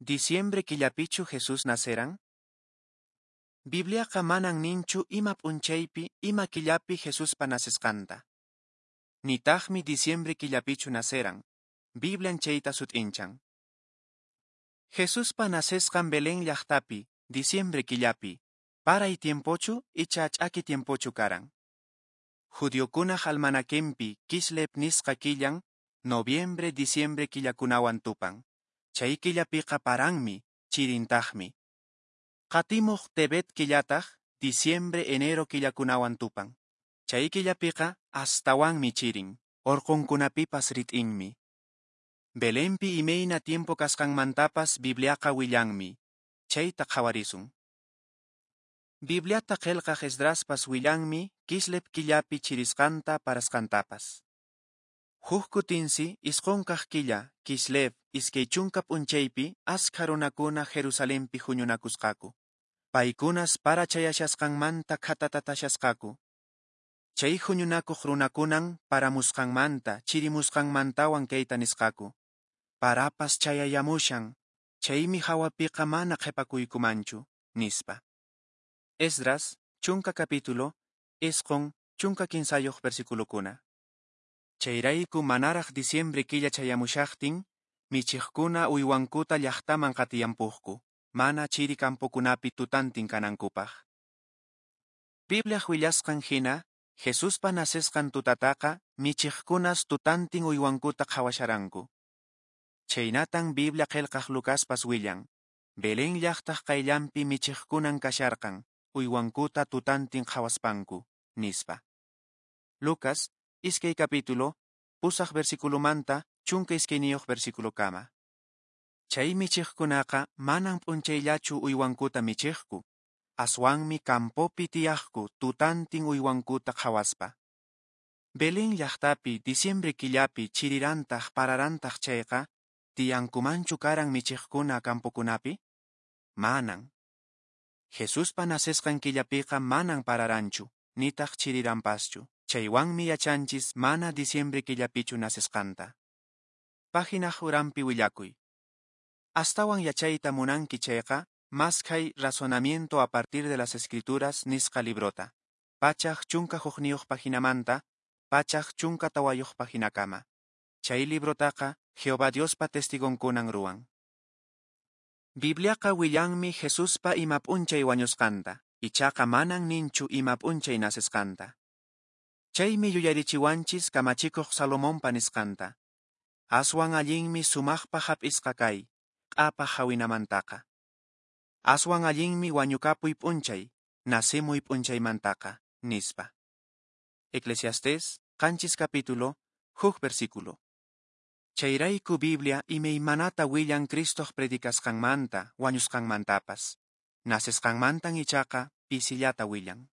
Diciembre killapichu Jesús naceran? Bibliaqa manan ninchu ima p'unchaypi, ima killapi Jesuspa nacesqanta. Nitaqmi diciembre killapichu naceran. Biblian chayta sut'inchan. Jesuspa nacesqan Belén llaqtapi, diciembre killapi, paray tiempochu icha ch'aki tiempochu karan. Judiokunaq almanaquenpi Kislev nisqa killan, noviembre, diciembre killakunawan tupan. Chay killapiqa paranmi, chirintaqmi. Qatimuq Tebet killataq, diciembre, enero killakunawan tupan. Chay killapiqa astawanmi chirin, orqonkunapipas rit'inmi. Belenpi imayna tiempo kasqanmantapas Bibliaqa willanmi. Chayta qhawarisun. Bibliata qillqaq Esdraspas willanmi Kislev killapi chirisqanta parasqantapas. Huk kutinsi isqun kaq killa Kislev 20 p'unchaypi askha runakuna Jerusalenpi huñunakusqaku. Paykunas para chayashasqanmanta khatatatasqaku. Chay huñunakuq runakunan paramusqanmanta, chirimusqanmantawan kayta nisqaku. Parapas chayayamushan, chaymi hawapiqa mana qhipakuykumanchu, nispa. Esdras, 10 capítulo, 9, 13 versiculokuna. Chayrayku manaraq diciembre killa chayamushaqtin, michiqkuna uywankuta llaqtaman qatiyampuqku, mana chiri campokunapi tutantin kanankupaq. Bibliaq willasqan hina, Jesuspa nacesqan tutataqa michiqkunas tutantin uywankuta qhawasharanku. Chaynatan Biblia qillqaq Lucaspas willan, Belén llaqtaq qayllanpi michiqkunan kasharqan, uywankuta tutantin qhawaspanku, nispa. Lucas, 2 capítulo, 8 versiculomanta, 12 versiculokama. Chay michiqkunaqa manan p'unchayllachu uywankuta michiqku, aswanmi campopi tiyaqku tutantin uywankuta qhawaspa. Belén llaqtapi diciembre killapi chirirantaq pararantaq chayqa, tiyankumanchu karan michiqkuna campokunapi? Manan. Jesuspa nacesqan killapiqa manan pararanchu, nitaq chiriranpaschu. Chaywanmi yachanchis mana diciembre killapichu nacesqanta. Página uranpi willakuy. Astawan yachayta munanki chayqa, maskhay Razonamiento a partir de las Escrituras nisqa librota. 111 paginamanta, 114 paginakama. Chay librotaqa Jehová Diospa testigonkunan ruwan. Bibliaqa willanmi Jesuspa ima p'unchay wañusqanta, ichaqa manan ninchu ima p'unchay nacesqanta. Chaymi yuyarichiwanchis kamachikuq Salomonpa nisqanta. Aswan allinmi sumaqpa hap'isqa kay, q'apaq hawinamantaqa. Aswan allinmi wañukapuy p'unchay, nacemuy p'unchaymantaqa, nispa. Eclesiastés, 7 capítulo, 1 versículo. Chayrayku Biblia imaymanata willan Cristoq predicasqanmanta, wañusqanmantapas. Nacesqanmantan ichaqa pisillata willan.